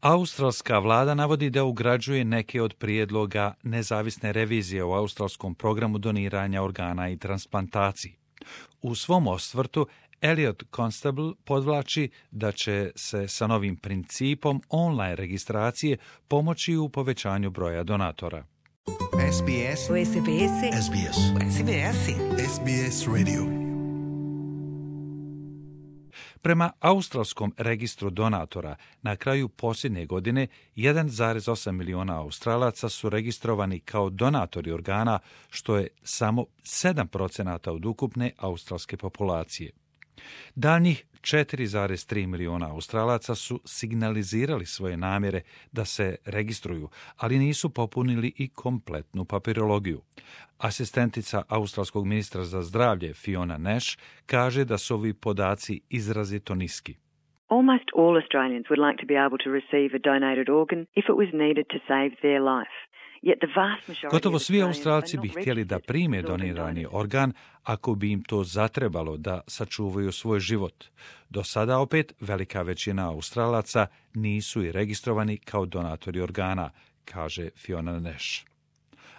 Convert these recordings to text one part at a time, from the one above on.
Australska vlada navodi da ugrađuje neke od prijedloga nezavisne revizije u australskom programu doniranja organa i transplantaciji. U svom osvrtu Elliot Constable podvlači da će se sa novim principom online registracije pomoći u povećanju broja donatora. SBS SBS SBS SBS SBS Radio. Prema australskom registru donatora, na kraju posljednje godine 1,8 miliona Australaca su registrovani kao donatori organa, što je samo 7% od ukupne australske populacije. Daljnjih 4,3 miliona Australaca su signalizirali svoje namjere da se registruju, ali nisu popunili i kompletnu papirologiju. Asistentica australskog ministra za zdravlje Fiona Nash kaže da su ovi podaci izrazito niski. Almost all Australians would like to be able to receive a donated organ if it was needed to save their life. Gotovo svi Australci bi htjeli da prime donirani organ ako bi im to zatrebalo da sačuvaju svoj život. Do sada opet velika većina Australaca nisu i registrovani kao donatori organa, kaže Fiona Nash.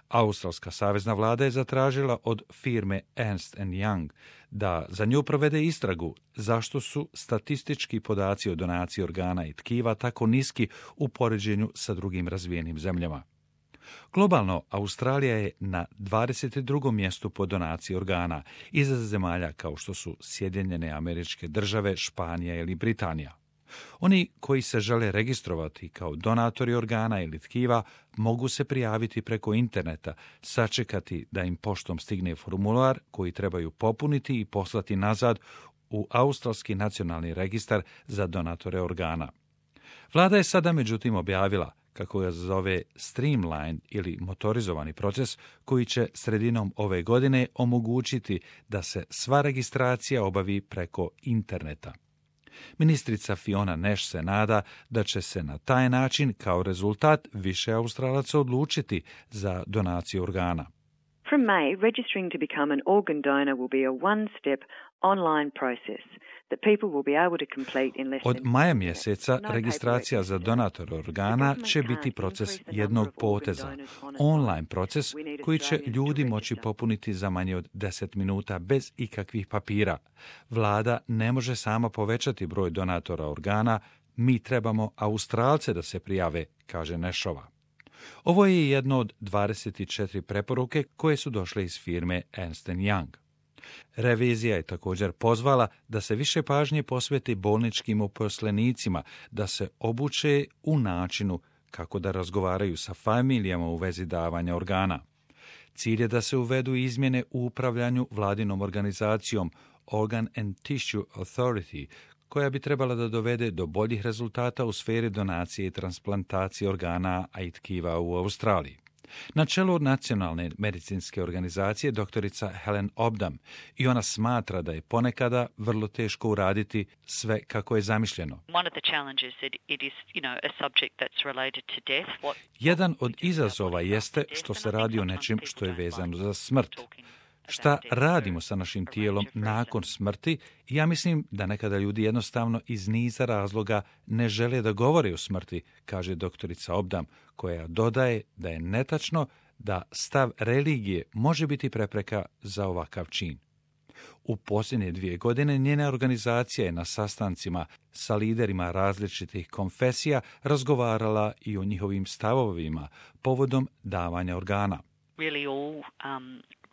Australska savezna vlada je zatražila od firme Ernst & Young da za nju provede istragu zašto su statistički podaci o donaciji organa i tkiva tako niski u poređenju sa drugim razvijenim zemljama. Globalno, Australija je na 22. mjestu po donaciji organa, iza zemalja kao što su Sjedinjene Američke Države, Španija ili Britanija. Oni koji se žele registrovati kao donatori organa ili tkiva mogu se prijaviti preko interneta, sačekati da im poštom stigne formular koji trebaju popuniti i poslati nazad u Australski nacionalni registar za donatore organa. Vlada je sada međutim objavila kako ga zove streamline ili motorizovani proces koji će sredinom ove godine omogućiti da se sva registracija obavi preko interneta. Ministrica Fiona Nash se nada da će se na taj način kao rezultat više Australaca odlučiti za donaciju organa. From May, registering to become an organ donor will be a one-step online process that people will be able to complete in less than... Od maja mjeseca registracija za donator organa će biti proces jednog poteza, online proces koji će ljudi moći popuniti za manje od 10 minuta bez ikakvih papira. Vlada ne može sama povećati broj donatora organa, mi trebamo Australce da se prijave, kaže Nashova. Ovo je jedno od 24 preporuke koje su došle iz firme Ernst & Young. Revizija je također pozvala da se više pažnje posveti bolničkim uposlenicima, da se obuče u načinu kako da razgovaraju sa familijama u vezi davanja organa. Cilj je da se uvedu izmjene u upravljanju vladinom organizacijom Organ and Tissue Authority, koja bi trebala da dovede do boljih rezultata u sferi donacije i transplantacije organa i tkiva u Australiji. Na čelu nacionalne medicinske organizacije doktorica Helen Obdam i ona smatra da je ponekada vrlo teško uraditi sve kako je zamišljeno. Jedan od izazova jeste što se radi o nečem što je vezano za smrt. Šta radimo sa našim tijelom nakon smrti? Ja mislim da nekada ljudi jednostavno iz niza razloga ne žele da govore o smrti, kaže doktorica Obdam, koja dodaje da je netačno da stav religije može biti prepreka za ovakav čin. U posljednje 2 godine njena organizacija je na sastancima sa liderima različitih konfesija razgovarala i o njihovim stavovima povodom davanja organa.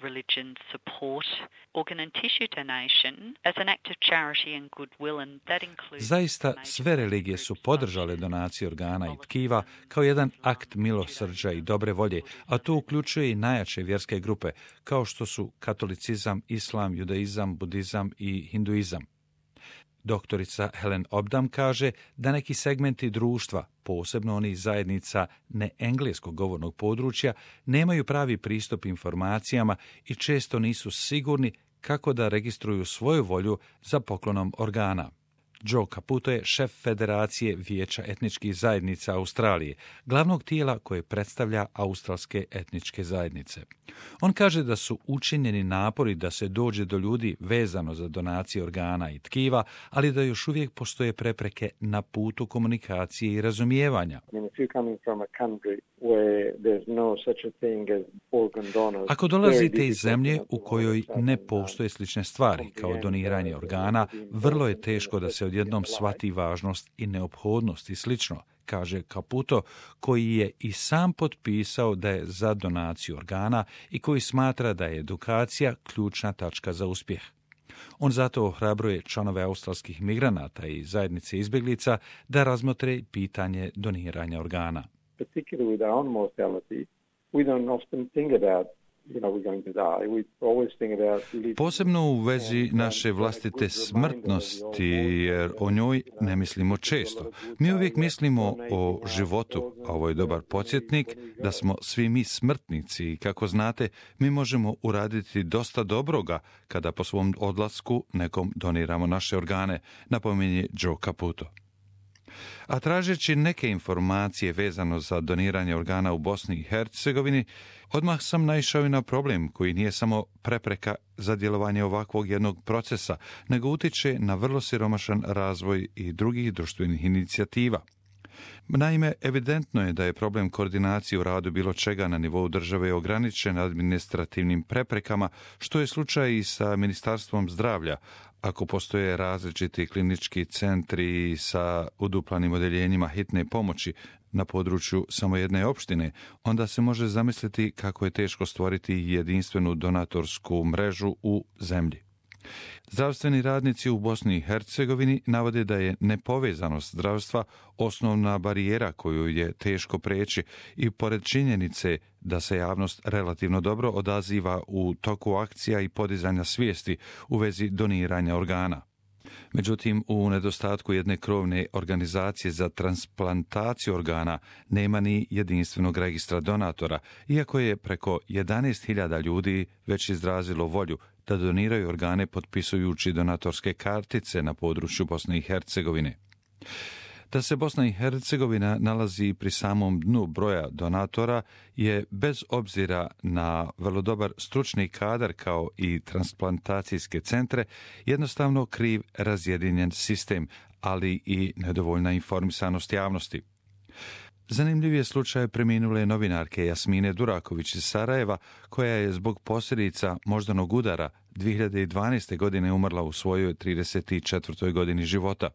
Religions support organ and tissue donation as an act of charity and goodwill, and that includes... Zaista sve religije su podržale donaciju organa i tkiva kao jedan akt milosrđa i dobre volje, a to uključuje i najjače vjerske grupe, kao što su katolicizam, islam, judaizam, budizam i hinduizam. Doktorica Helen Obdam kaže da neki segmenti društva, posebno oni zajednica neengleskog govornog područja, nemaju pravi pristup informacijama i često nisu sigurni kako da registruju svoju volju za poklonom organa. Joe Caputo je šef Federacije Vijeća etničkih zajednica Australije, glavnog tijela koje predstavlja australske etničke zajednice. On kaže da su učinjeni napori da se dođe do ljudi vezano za donacije organa i tkiva, ali da još uvijek postoje prepreke na putu komunikacije i razumijevanja. Ako dolazite iz zemlje u kojoj ne postoje slične stvari kao doniranje organa, vrlo je teško da se odjednom shvati važnost i neophodnost i slično, kaže Caputo, koji je i sam potpisao da je za donaciju organa i koji smatra da je edukacija ključna tačka za uspjeh. On zato ohrabruje članove australskih migranata i zajednice izbjeglica da razmotre pitanje doniranja organa. Posebno u vezi naše vlastite smrtnosti, jer o njoj ne mislimo često. Mi uvijek mislimo o životu, a ovo je dobar podsjetnik da smo svi mi smrtnici i kako znate, mi možemo uraditi dosta dobroga kada po svom odlasku nekom doniramo naše organe, napominje Joe Caputo. A tražeći neke informacije vezano za doniranje organa u Bosni i Hercegovini, odmah sam naišao i na problem koji nije samo prepreka za djelovanje ovakvog jednog procesa, nego utiče na vrlo siromašan razvoj i drugih društvenih inicijativa. Naime, evidentno je da je problem koordinacije u radu bilo čega na nivou države ograničen administrativnim preprekama, što je slučaj i sa Ministarstvom zdravlja. Ako postoje različiti klinički centri sa uduplanim odjeljenjima hitne pomoći na području samo jedne opštine, onda se može zamisliti kako je teško stvoriti jedinstvenu donatorsku mrežu u zemlji. Zdravstveni radnici u Bosni i Hercegovini navode da je nepovezanost zdravstva osnovna barijera koju je teško preći i pored činjenice da se javnost relativno dobro odaziva u toku akcija i podizanja svijesti u vezi doniranja organa. Međutim, u nedostatku jedne krovne organizacije za transplantaciju organa nema ni jedinstvenog registra donatora, iako je preko 11.000 ljudi već izrazilo volju da doniraju organe potpisujući donatorske kartice na području Bosne i Hercegovine. Da se Bosna i Hercegovina nalazi pri samom dnu broja donatora je, bez obzira na vrlo dobar stručni kadar kao i transplantacijske centre, jednostavno kriv razjedinjen sistem, ali i nedovoljna informisanost javnosti. Zanimljiv je slučaj preminule novinarke Jasmine Duraković iz Sarajeva, koja je zbog posljedica moždanog udara 2012. godine umrla u svojoj 34. godini života.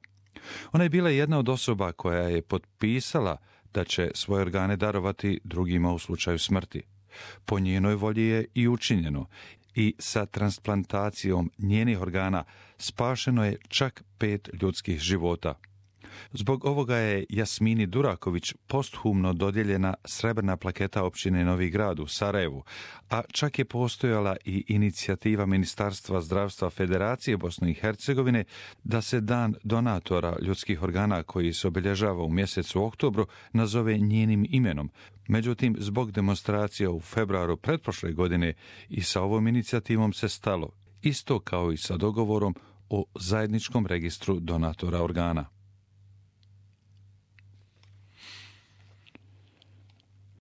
Ona je bila jedna od osoba koja je potpisala da će svoje organe darovati drugima u slučaju smrti. Po njenoj volji je i učinjeno i sa transplantacijom njenih organa spašeno je čak 5 ljudskih života. Zbog ovoga je Jasmini Duraković posthumno dodijeljena srebrna plaketa općine Novi Grad u Sarajevu, a čak je postojala i inicijativa Ministarstva zdravstva Federacije Bosne i Hercegovine da se dan donatora ljudskih organa koji se obilježava u mjesecu oktobru nazove njenim imenom. Međutim, zbog demonstracija u februaru pretprošle godine i sa ovom inicijativom se stalo, isto kao i sa dogovorom o zajedničkom registru donatora organa.